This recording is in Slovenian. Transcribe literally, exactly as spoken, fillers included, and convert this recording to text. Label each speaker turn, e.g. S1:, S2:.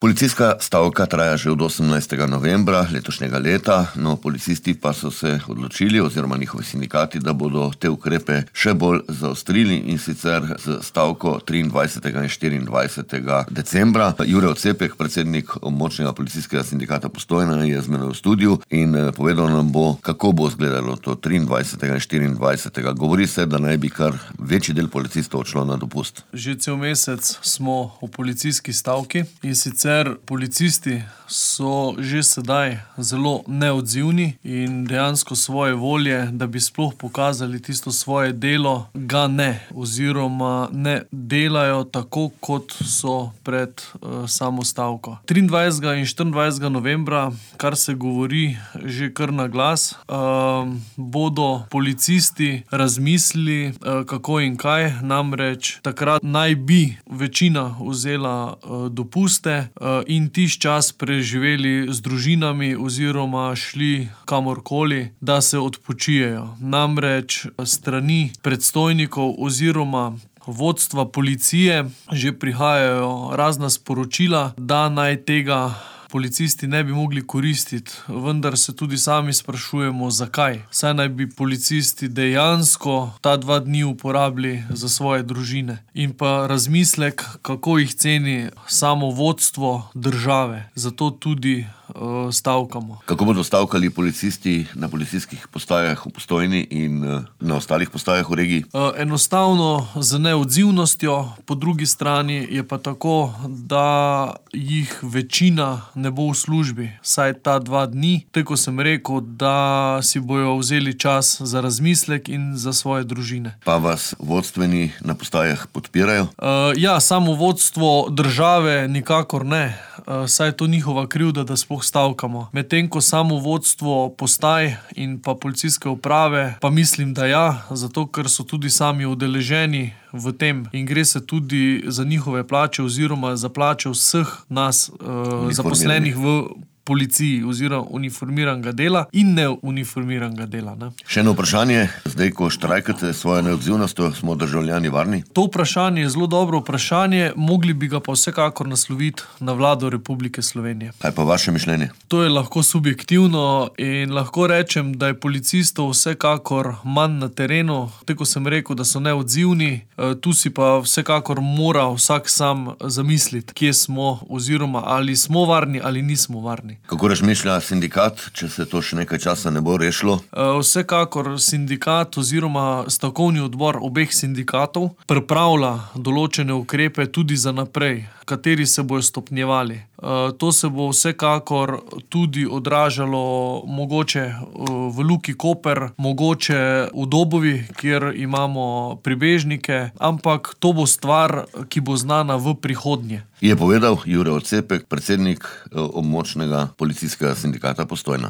S1: Policijska stavka traja že od osemnajstega novembra letošnjega leta, no policisti pa so se odločili oziroma njihovi sindikati, da bodo te ukrepe še bolj zaostrili in sicer z stavko triindvajsetega in štiriindvajsetega decembra. Jure Ocepek, predsednik območnega policijskega sindikata Postojna, je z menoj v studiu in povedal nam bo, kako bo izgledalo to triindvajsetega in štiriindvajsetega. Govori se, da naj bi kar večji del policistov odšlo na dopust.
S2: Že cel mesec smo v policijski stavki in sicer policisti so že sedaj zelo neodzivni in dejansko svoje volje, da bi sploh pokazali tisto svoje delo, ga ne, oziroma ne delajo tako, kot so pred uh, samo stavko. triindvajsetega in štiriindvajsetega novembra, kar se govori že kar na glas, uh, bodo policisti razmislili, uh, kako in kaj, namreč takrat naj bi večina vzela uh, dopuste uh, in tiš čas preživeli z družinami oziroma šli kamorkoli, da se odpočijejo. Namreč strani predstojnikov oziroma vodstva policije že prihajajo razna sporočila, da naj tega policisti ne bi mogli koristiti, vendar se tudi sami sprašujemo, zakaj. Saj naj bi policisti dejansko ta dva dni uporabili za svoje družine. In pa razmislek, kako jih ceni samo vodstvo države. Zato tudi uh, stavkamo.
S1: Kako bodo stavkali policisti na policijskih postajah v Postojni in uh, na ostalih postajah v regiji?
S2: Uh, enostavno z neodzivnostjo, po drugi strani je pa tako, da jih večina ne bo v službi, saj ta dva dni, tako sem rekel, da si bojo vzeli čas za razmislek in za svoje družine.
S1: Pa vas vodstveni na postajah podpirajo?
S2: Uh, ja, samo vodstvo države nikakor ne, uh, saj je to njihova krivda, da sploh stavkamo. Medtem ko samo vodstvo postaj in pa policijske uprave, pa mislim, da ja, zato ker so tudi sami udeleženi v tem in gre se tudi za njihove plače oziroma za plače vseh nas uh, zaposlenih v policiji oziroma uniformiranega dela in neuniformiranega dela. Ne?
S1: Še eno vprašanje, zdaj ko štrajkate svojo neodzivnostjo, smo državljani varni?
S2: To vprašanje je zelo dobro vprašanje, mogli bi ga pa vsekakor nasloviti na vlado Republike Slovenije.
S1: Kaj pa vaše mišljenje?
S2: To je lahko subjektivno in lahko rečem, da je policistov vsekakor manj na terenu, tako sem rekel, da so neodzivni, tu si pa vsekakor mora vsak sam zamisliti, kje smo oziroma ali smo varni ali nismo varni.
S1: Kako razmišlja sindikat, če se to še nekaj časa ne bo rešilo?
S2: Vsekakor sindikat oziroma stavkovni odbor obeh sindikatov pripravlja določene ukrepe tudi za naprej, kateri se bojo stopnjevali. To se bo vsekakor tudi odražalo mogoče v Luki Koper, mogoče v Dobovi, kjer imamo pribežnike, ampak to bo stvar, ki bo znana v prihodnje.
S1: Je povedal Jure Ocepek, predsednik območnega policijskega sindikata Postojna.